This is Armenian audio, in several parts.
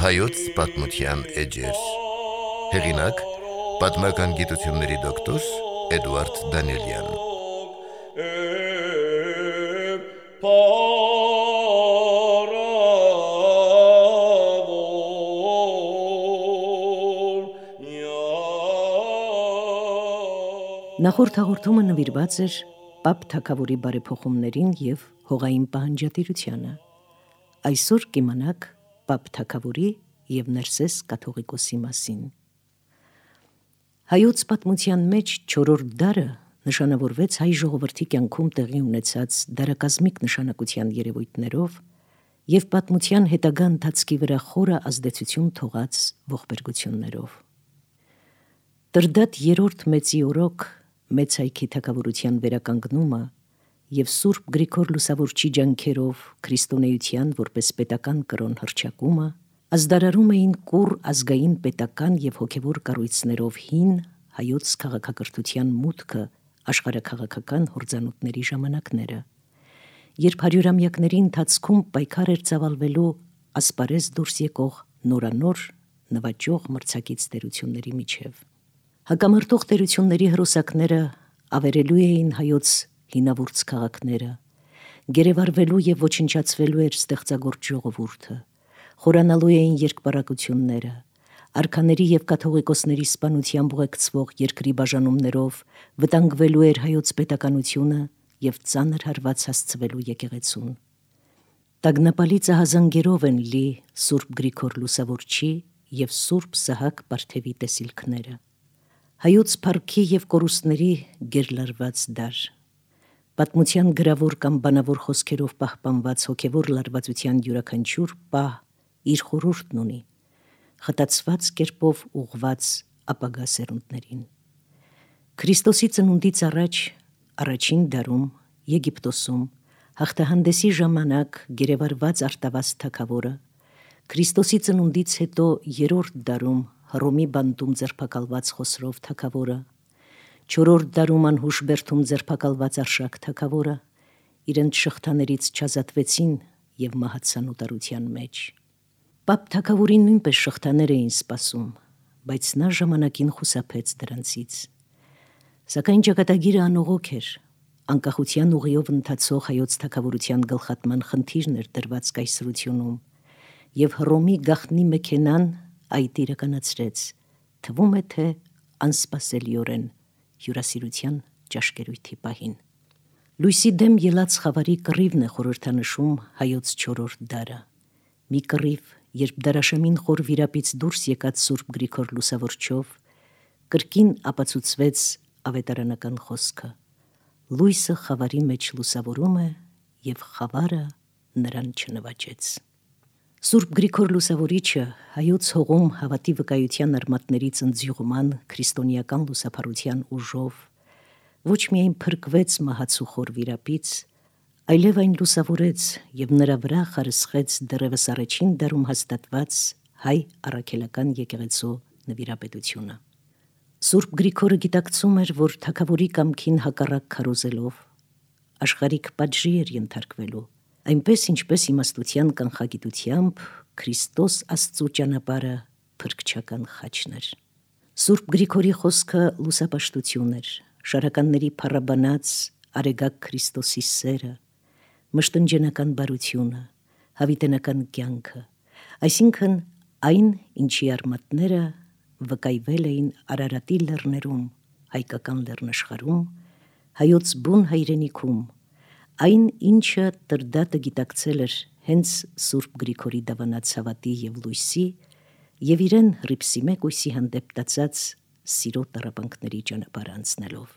Հայոց պատմության էջեր։ Հեղինակ՝ պատմական գիտությունների դոկտոր Էդուարդ Դանիելյան։ Նախորդ հաղորդումը նվիրված էր Պապ թագավորի բարեփոխումներին և հողային պահանջատիրությանը։ Այսօր կիմանաք Պապ թագավորի և Ներսես կաթողիկոսի մասին։ Հայոց պատմության մեջ չորրորդ դարը նշանավորվեց հայ ժողովրդի կյանքում տեղի ունեցած դարակազմիկ նշանակության երևույթներով և պատմության հետագա ընթացքի վրա խորը ազդեցություն թողած ողբերգություններով։ Տրդատ երրորդ մեծի օրոք մեծ հայքի թագավորության վերականգնումը և Սուրբ Գրիգոր Լուսավորչի ջանքերով քրիստոնեության որպես պետական կրոն հռչակումը ազդարարում էին կուռ ազգային պետական և հոգևոր կառույցներով հին հայոց քաղաքակրթության մուտքը աշխարհաքաղաքական հորձանուտների ժամանակները, երբ հարյուրամյակների ընթացքում պայքար էր ծավալվելու ասպարեզ դուրս եկող նորանոր նվաճող մրցակից տերությունների միջև։ Հակամարտող տերությունների հրոսակները ավերելու էին հայոց հինավուրց քաղաքները, գերեվարվելու և ոչնչացվելու էր ստեղծագործ ժողովուրդը, խորանալու էին երկպառակությունները, արքաների և կաթողիկոսների սպանությամբ ուղեկցվող երկրի բաժանումներով վտանգվելու էր հայոց պետականությունը և ծանր հարված հասցվելու եկեղեցուն։ Տագնապալի ծահազանգերով են լի Սուրբ Գրիգոր Լուսավորչի և Սուրբ Սահակ Պարթևի տեսիլքները։ Հայոց փառքի և կորուստների գերլարված դար, պատմության գրավոր կամ բանավոր խոսքերով պահպանված հոգևոր լարվածության յուրաքանչյուր պահ իր խորհուրդն ունի, խտացված կերպով ուղղված ապագա սերունդներին։ Քրիստոսի ծնունդից առաջ առաջին դարում Եգիպտոսում հաղթահանդեսի ժամանակ գերեվարված Արտավազ թագավորը, Քրիստոսի ծնունդից հետո երրորդ դարում Հռոմի բանտում ձերբակալված Խոսրով թագավորը, չորրորդ դարում անհուշ բերդում ձերբակալված Արշակ թագավորը իրենց շղթաներից չազատվեցին և մահացան օտարության մեջ։ Պապ թագավորին նույնպես շղթաներ էին սպասում, բայց նա ժամանակին խուսափեց դրանցից։ Սակայն ճակատագիրը անողոք էր, անկախության ուղիով ընթացող հայոց թագավորության գլխատման խնդիրն էր դրված կայսրությունում, և Հռոմի գաղտնի մեքենան այդ իրականացրեց, թվում է թե անսպասելիորեն հյուրասիրության ճաշկերույթի պահին։ Լույսի դեմ ելած խավարի կռիվն է խորհրդանշում հայոց չորրորդ դարը, մի կռիվ, երբ դարաշեմին խոր վիրապից դուրս եկած Սուրբ Գրիգոր Լուսավորչով կրկին ապացուցվեց ավետարանական խոսքը. լույսը խավարի մեջ լուսավորում է, և խավարը նրան չնվաճեց։ Սուրբ Գրիգոր Լուսավորիչը հայոց հողում հավատի վկայության արմատների ծնձյուղման քրիստոնեական լուսափարության ուժով ոչ միայն փրկվեց մահացու խոր վիրապից, այլև այն լուսավորեց և նրա վրա խարսխեց դեռևս առաջին դարում հաստատված հայ առաքելական եկեղեցու նվիրապետությունը։ Սուրբ Գրիգորը գիտակցում էր, որ թագավորի կամքին հակառակ քարոզելով աշխարհիկ պատժի էր ենթարկվելու, այնպես ինչպես իմաստության կանխագիտությամբ Քրիստոս Աստծու ճանապարհը փրկչական խաչն էր։ Սուրբ Գրիգորի խոսքը լուսապաշտություն էր, շարականների փառաբանած արեգակ Քրիստոսի սերը, մշտնջենական բարությունը, հավիտենական կյանքը, այսինքն այն, ինչի արմատները վկայվել էին Արարատի լեռներում, հայկական լեռնաշխարհում, հայոց բուն հայրենիքում, այն, ինչը Տրդատը գիտակցել էր հենց Սուրբ Գրիգորի դավանած հավատի և լույսի և իրեն Հռիփսի մեկույսի հանդեպ տածած սիրո տառապանքների ճանապարհ անցնելով։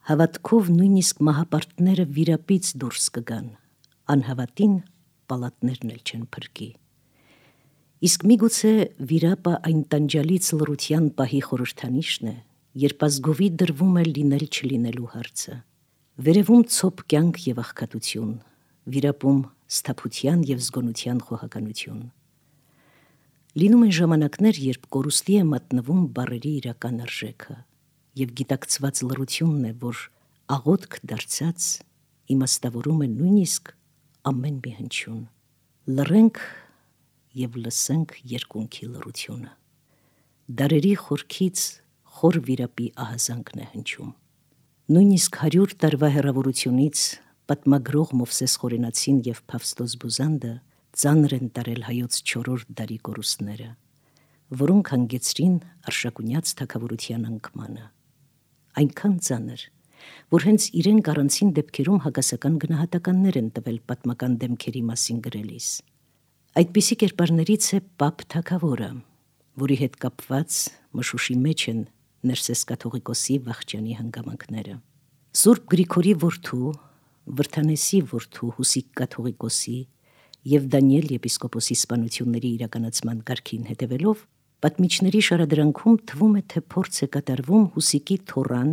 Հավատքով նույնիսկ մահապարտները վիրապից դուրս կգան, անհավատին պալատներն էլ չեն փրկի։ Իսկ միգուցե վիրապը այն տանջալից լռության պահի խորհրդանիշն է, երբ ազգովի դրվում է լինել չլինելու հարցը։ Վերևում ցոփ կյանք և աղքատություն, վիրապում սթափության և զգոնության խոհականություն։ Լինում են ժամանակներ, երբ կորուստի է մատնվում բառերի իրական արժեքը, եւ գիտակցված լռությունն է, որ աղոթք դարձած իմաստավորում է նույնիսկ ամեն մի հնչյուն։ Լռենք եւ լսենք երկունքի լռությունը։ Դարերի խորքից խոր վիրապի ահազանգն է հնչում։ Նույնիսկ 100 տարվա հեռավորությունից պատմագրող Մովսես Խորենացին եւ Փավստոս Բուզանդը ծանր են տարել հայոց 4-րդ դարի կորուստները, որոնք հանգեցրին Արշակունյաց թագավորության անկմանը։ Այնքան ծանր, որ հենց իրենք առանցին դեպքերում հակասական գնահատականներ են տվել պատմական դեմքերի մասին գրելիս։ Այդպիսի կերպարներից է Պապ թագավորը, որի հետ կապված մշուշի մեջ են Ներսես կաթողիկոսի վախճանի հանգամանքները։ Սուրբ Գրիգորի որդու, Վրթանեսի որդու Հուսիկ կաթողիկոսի եւ Դանիել եպիսկոպոսի սպանությունների իրականացման կարգին հետևելով, պատմիչների շարադրանքում թվում է, թե փորձ է կատարվում Հուսիկի թոռան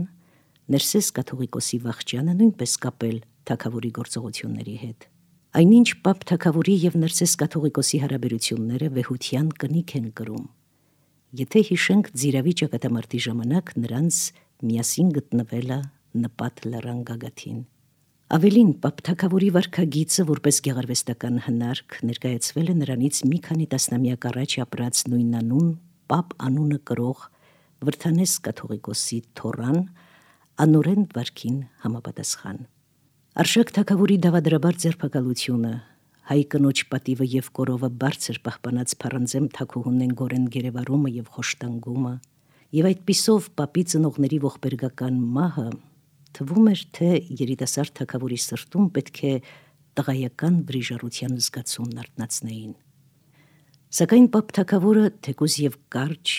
Ներսես կաթողիկոսի վախճանը նույնպես կապել թագավորի գործողությունների հետ։ Այնինչ Պապ թագավորի եւ Ներսես կաթողիկոսի հարաբերությունները վեհության կնիք են կրում։ Եթե հիշենք Ձիրավի ճակատամարտի ժամանակ նրանց միասին գտնվելը նպատ լեռան գագաթին։ Ավելին, Պապ թագավորի վարքագիծը որպես գեղարվեստական հնարք ներկայացվել է նրանից մի քանի տասնամյակ առաջ ապրած նույնանուն Պապ անունը կրող Վրթանես կաթողիկոսի թոռան անորեն վարքին համապատասխան։ Արշակ թագավորի դավադրաբար ձերբակալությունը, հայ կնոջ պատիվը եւ կորովը բարձր պահպանած փառանձեմ թագուհունեն գորեն գերեվարումը եւ խոշտանգումը եւ այդպիսով Պապի ծնողների ողբերգական մահը թվում էր, թե երիտասարդ թագավորի սրտում պետք է տղայական վրիժառության զգացումն արթնացնեին։ Սակայն Պապ թագավորը թեկուզ եւ կարճ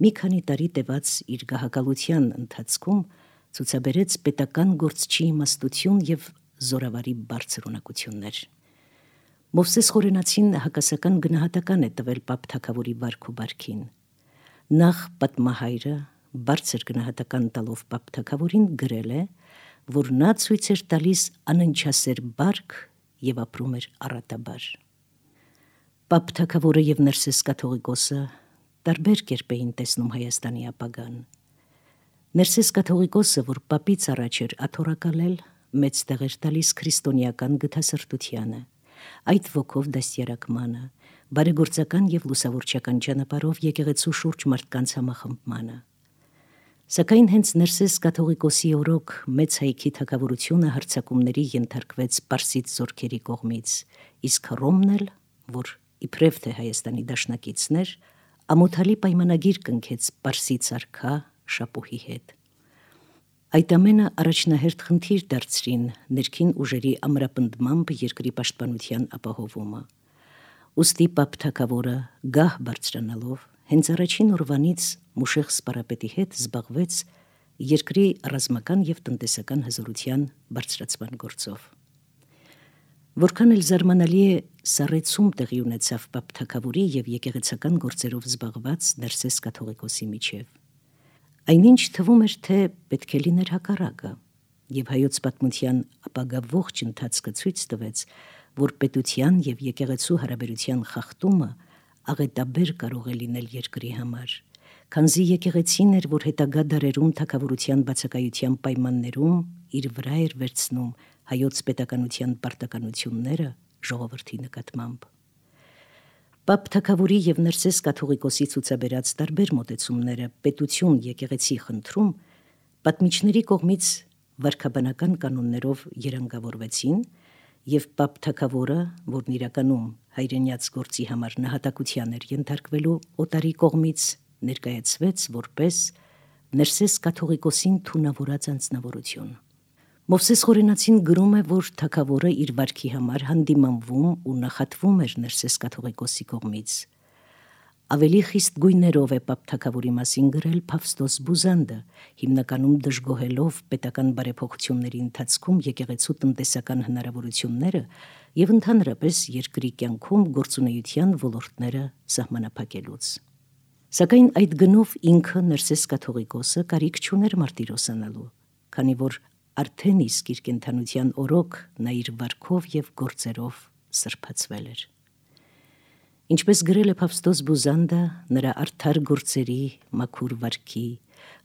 մի քանի տարի տևած իր գահակալության ընթացքում ցուցաբերեց պետական գործչի իմաստություն եւ զորավարի բարձր ունակություններ։ Մովսես Խորենացին հակասական գնահատական է տվել Պապ թագավորի վարք ու բարքին։ Նախ պատմահայրը բարձր գնահատական տալով Պապ թագավորին գրել է, որ նա ցույց էր տալիս անընչասեր բարք եւ ապրում էր առատաբար։ Պապ թագավորը եւ Ներսես կաթողիկոսը տարբեր կերպ էին տեսնում Հայաստանի ապագան։ Ներսես կաթողիկոսը, որ Պապից առաջ էր աթոռակալել, մեծ տեղ էր տալիս քրիստոնեական գթասրտությանը, այդ ոգով դաստիարակմանը, բարեգործական եւ լուսավորչական ճանապարհով եկեղեցու շուրջ մարդկանց համախմբմանը։ Սակայն հենց Ներսես կաթողիկոսի օրոք մեծ հայքի թագավորությունը հարձակումների ենթարկվեց պարսից զորքերի կողմից, իսկ Հռոմն էլ, որ իբրև թե Հայաստանի դաշնակիցներ, ամոթալի պայմանագիր կնքեց պարսից արքա Շապուհի հետ։ Այդ ամենը առաջնահերթ խնդիր դարձրին ներքին ուժերի ամրապնդմամբ երկրի պաշտպանության ապահովումը։ Ուստի Պապ թագավորը գահ բարձրանալով հենց առաջին օրվանից Մուշեղ սպարապետի հետ զբաղվեց երկրի ռազմական եւ տնտեսական հզորության բարձրացման գործով։ Որքան էլ զարմանալի է, սառեցում տեղի ունեցավ Պապ թագավորի եւ եկեղեցական գործերով զբաղված Ներսես կաթողիկոսի միջև։ Այնինչ թվում էր, թե պետք է լիներ հակառակը, եւ հայոց պատմության ապագա ողջ ընթացքը ցույց տվեց, որ պետության եւ եկեղեցու հարաբերության խախտումը աղետաբեր կարող է լինել երկրի համար, քանզի եկեղեցին էր, որ հետագա դարերում թագավորության բացակայության պայմաններում իր վրա էր վերցնում հայոց պետականության պարտականությունները ժողովրդի նկատմամբ։ Պապ թագավորի եւ Ներսես կաթողիկոսի ցուցաբերած տարբեր մոտեցումները պետություն եկեղեցի խնդրում պատմիչների կողմից վարքաբանական կանոններով երանգավորվեցին եւ Պապ թագավորը, որն իրականում հայրենյաց գործի համար նահատակության էր ենթարկվելու օտարի կողմից, ներկայացվեց որպես Ներսես կաթողիկոսին թունավորած անձնավորություն։ Մովսես Խորենացին գրում է, որ թագավորը իր վարքի համար հանդիմանվում ու նախատվում էր Ներսես կաթողիկոսի կողմից։ Ավելի խիստ գույներով է Պապ թագավորի մասին գրել Փավստոս Բուզանդը, հիմնականում դժգոհելով պետական բարեփոխությունների ընթացքում եկեղեցու տնտեսական հնարավորությունները եւ ընդհանրապես երկրի կյանքում գործունեության ոլորտները սահմանափակելուց։ Սակայն այդ գնով ինքը Ներսես կաթողիկոսը կարիք չուներ մարտիրոսանալու, քանի որ արդեն իսկ իր կենդանության օրոք նա իր վարքով եւ գործերով սրբացվել էր։ Ինչպես գրել է Փավստոս Բուզանդը, նրա արդար գործերի, մաքուր վարքի,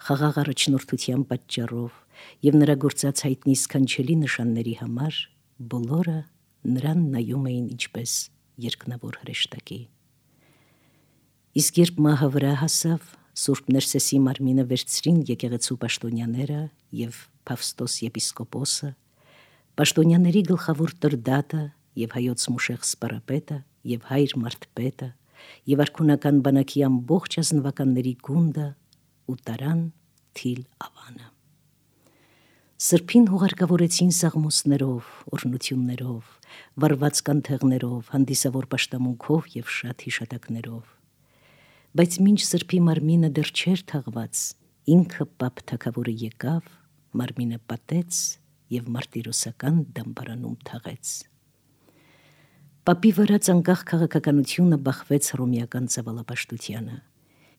խաղաղ առաջնորդության պատճառով եւ նրա գործած հայտնի սքանչելի նշանների համար բոլորը նրան նայում էին ինչպես երկնավոր հրեշտակի։ Իսկ երբ մահը վրա հասավ, Սուրբ Ներսեսի մարմինը վերցրին եկեղեցու պաշտոնյաները եւ Փավստոս եպիսկոպոսը, պաշտոնյաների գլխավոր տրդատը եւ հայոց մուշեղ սպարապետը եւ հայր մարդպետը եւ արքունական բանակի ամբողջ ազնվականների գունդը ու տարան Թիլ ավանը։ Սրբին հուղարկավորեցին սաղմոսներով, օրհնություններով, վառված կանթեղներով, հանդիսավոր պաշտամունքով եւ շատ հիշատակներով։ Բայց մինչ սրբի մարմինը դեռ չէր թաղված, ինքը պապ թագավորը եկավ, մարմինը պատեց եւ մարտիրոսական դամբարանում թաղեց։ Պապի վրա անկախ քաղաքականությունը բախվեց հռոմեական ցավալապաշտությանը։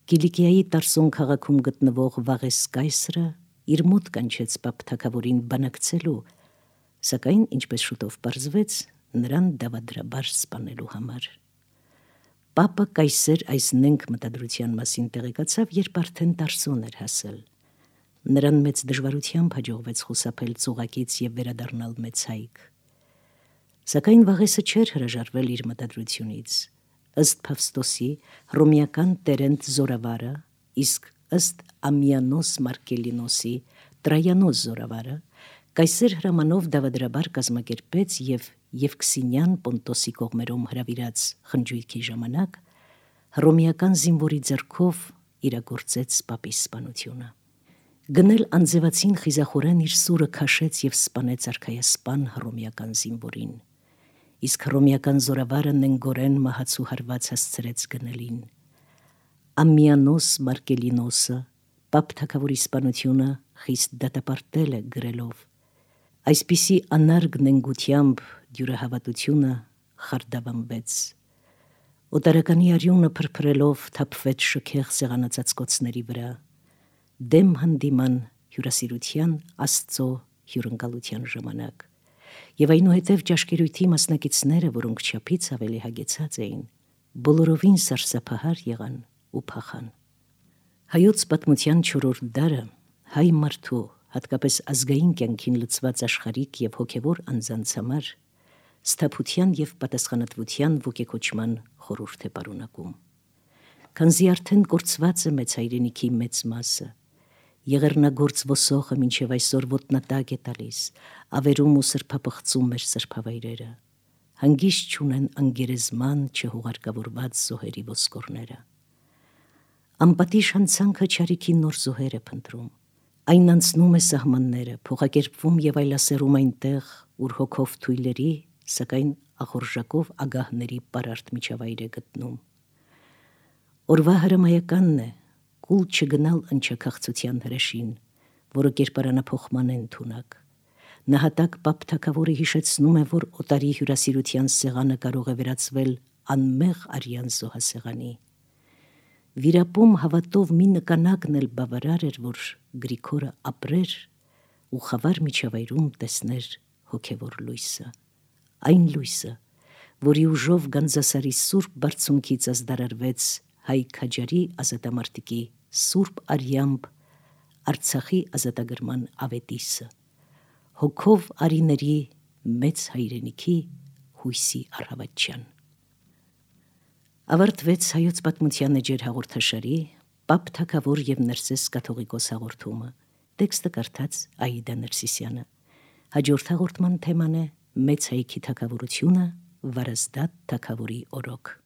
Կիլիկիայի Տարսոն քաղաքում գտնվող Վաղես կայսրը իր մոտ կանչեց պապ թագավորին բանակցելու, սակայն ինչպես շուտով պարզվեց, նրան դավադրաբար սպանելու համար։ Պապը կայսեր այս նենք մտադրության մասին տեղեկացավ, երբ արդեն Տարսոն էր հասել։ Նրան մեծ դժվարությամբ հաջողվեց խուսափել ծուղակից եւ վերադառնալ մեծ հայք։ Սակայն Վաղեսը չէր հրաժարվել իր մտադրությունից։ Ըստ Փավստոսի, հռոմեական Տերենտ զորավարը, իսկ ըստ Ամիանոս Մարկելինոսի Տրայանոս զորավարը, կայսեր հրամանով դավադրաբար կազմակերպեց եւ Եվքսինյան Պոնտոսի կողմերում հրավիրած խնջույքի ժամանակ հռոմեական զինվորի ձեռքով իրագործեց պապի սպանությունը։ Գնել անձևացին խիզախորեն իր սուրը քաշեց եւ սպանեց արքայասպան հռոմեական զինվորին, իսկ հռոմեական զորավարը նենգորեն մահացու հարված հասցրեց գնելին։ Ամիանոս Մարկելինոսը պապ թագավորի սպանությունը խիստ դատապարտել է գրելով. այսպիսի անարգ նենգությամբ դյուրահավատությունը խարդավանվեց։ Օտարականի արյունը փրփրելով թափվեց շքեղ սեղանացածկոցների վրա, դեմ հանդիման հյուրասիրության Աստծո հյուրընկալության ժամանակ, եւ այնուհետև ճաշկերույթի մասնակիցները, որոնք չափից ավելի հագեցած էին, բոլորովին սարսափահար եղան ու փախան։ Հայոց պատմության չորրորդ դարը հայ մարդու, հատկապես ազգային կյանքին լծված աշխարհիկ եւ հոգեվոր անձանց համար սթափության եւ պատասխանատվության ոգեկոչման խորհուրդ է պարունակում։ Քանզի արդեն կորցված է մեծ հայրենիքի մեծ մասը, եղեռնագործ ոսոխը մինչև այսօր ոտնատակ է տալիս, ավերում ու սրբապղծում մեր սրբավայրերը, հանգիստ չունեն անգերեզման չհուղարկավորված զոհերի ոսկորները։ Անպատիժ հանցանքը չարիքի նոր զոհեր է փնտրում, այն անցնում է սահմանները, փոխակերպվում եւ այլասերում այնտեղ, ուր հոգով թույլերի, սակայն ախորժակով ագահների պարարտ միջավայր է գտնում։ Օրվա հրամայականն է կուլ չգնալ ընչաքաղցության հրեշին, որը կերպարանափոխման է ընդունակ։ Նահատակ պապ թագավորը հիշեցնում է, որ օտարի հյուրասիրության սեղանը կարող է վերածվել անմեղ արյան զոհասեղանի։ Վիրապում հավատով մի նկանակն էլ բավարար էր, որ Գրիգորը ապրեր ու խավար միջավայրում տեսներ հոգևոր լույսը, այն լույսը, որի ուժով Գանձասարի սուրբ բարձունքից ազդարարվեց հայ քաջարի ազատամարտիկի սուրբ արյամբ Արցախի ազատագրման ավետիսը, հոգով արիների մեծ հայրենիքի հույսի առավոտյան։ Ավարտվեց հայոց պատմության էջեր հաղորդաշարի պապ թագավոր եւ Ներսես կաթողիկոս հաղորդումը, տեքստը կարդաց Աիդա Ներսիսյանը։ Հաջորդ հաղորդման թեման է մեծ հայքի թագավորությունը, Վարազդատ թագավորի օրոք։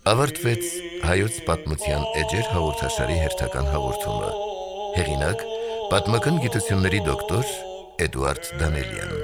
Ավարտվեց հայոց պատմության էջեր հաղորդաշարի հերթական հաղորդումը։ Հեղինակ պատմական գիտությունների դոկտոր Էդուարդ Դանելյան։